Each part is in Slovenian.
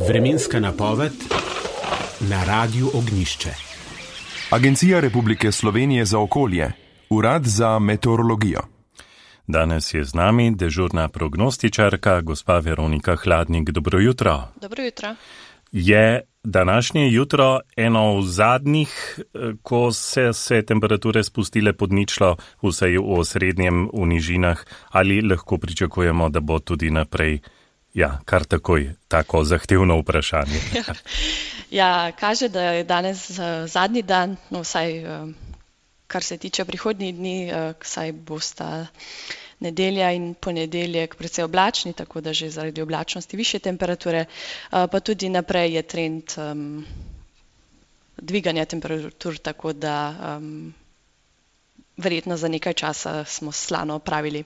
Vremenska napoved na Radiu Ognjišče. Agencija Republike Slovenije za okolje, Urad za meteorologijo. Danes je z nami dežurna prognostičarka, gospa Veronika Hladnik. Dobro jutro. Dobro jutro. Je današnje jutro eno v zadnjih, ko se temperature spustile pod ničlo, vsaj v osrednjem, v nižinah, ali lahko pričakujemo, da bo tudi naprej? Ja, kar takoj, tako zahtevno vprašanje. Ja, kaže, da je danes zadnji dan, no vsaj kar se tiče prihodnjih dni, saj bosta nedelja in ponedeljek precej oblačni, tako da že zaradi oblačnosti višje temperature, pa tudi naprej je trend dviganja temperatur, tako da verjetno za nekaj časa smo slano opravili.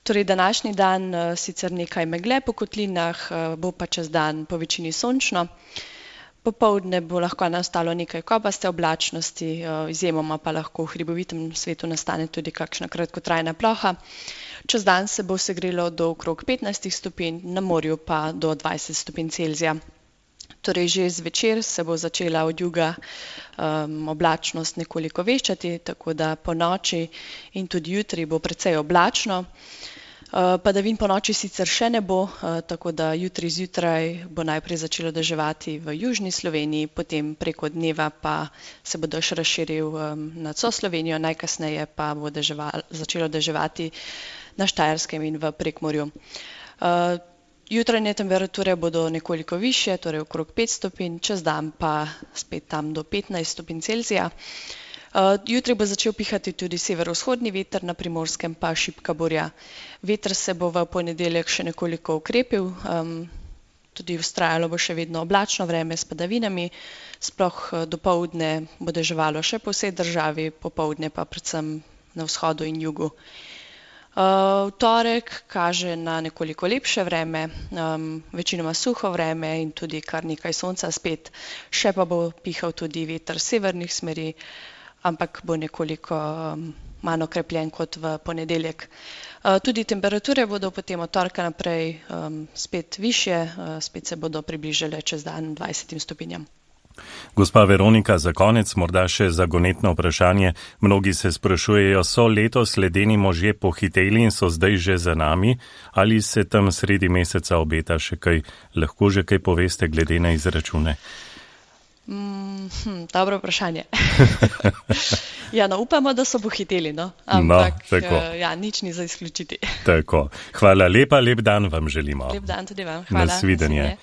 Torej, današnji dan sicer nekaj megle po kotlinah, bo pa čez dan po večini sončno. Popoldne bo lahko nastalo nekaj kopaste oblačnosti, izjemoma pa lahko v hribovitem svetu nastane tudi kakšna kratkotrajna ploha. Čez dan se bo segrelo do okrog 15 stopinj, na morju pa do 20 stopinj Celzija. Torej, že zvečer se bo začela od juga oblačnost nekoliko večati, tako da po noči in tudi jutri bo precej oblačno. Padavin po noči sicer še ne bo, tako da jutri zjutraj bo najprej začelo deževati v južni Sloveniji, potem preko dneva pa se bo dež razširil nad vso Slovenijo, najkasneje pa bo začelo deževati na Štajerskem in v Prekmurju. Jutranje temperature bodo nekoliko višje, torej okrog 5 stopinj, čez dan pa spet tam do 15 stopinj Celzija. Jutri bo začel pihati tudi severovzhodni veter, na Primorskem pa šibka burja. Veter se bo v ponedeljek še nekoliko ukrepil, tudi vztrajalo bo še vedno oblačno vreme s padavinami, sploh dopoldne bo deževalo še po vsej državi, popoldne pa predvsem na vzhodu in jugu. V torek kaže na nekoliko lepše vreme, večinoma suho vreme in tudi kar nekaj sonca spet, še pa bo pihal tudi veter severnih smeri, ampak bo nekoliko manj okrepljen kot v ponedeljek. Tudi temperature bodo potem od torka naprej spet višje, spet se bodo približale čez dan 20 stopinjam. Gospa Veronika, za konec morda še zagonetno vprašanje. Mnogi se sprašujejo, so letos ledeni možje pohiteli in so zdaj že za nami, ali se tam sredi meseca obeta še kaj? Lahko že kaj poveste glede na izračune? Dobro vprašanje. Ja, no, upamo, da so pohiteli, no. Ampak ja, nič ni za izključiti. Tako. Hvala lepa, lep dan vam želimo. Lep dan tudi vam. Hvala. Nasvidenje.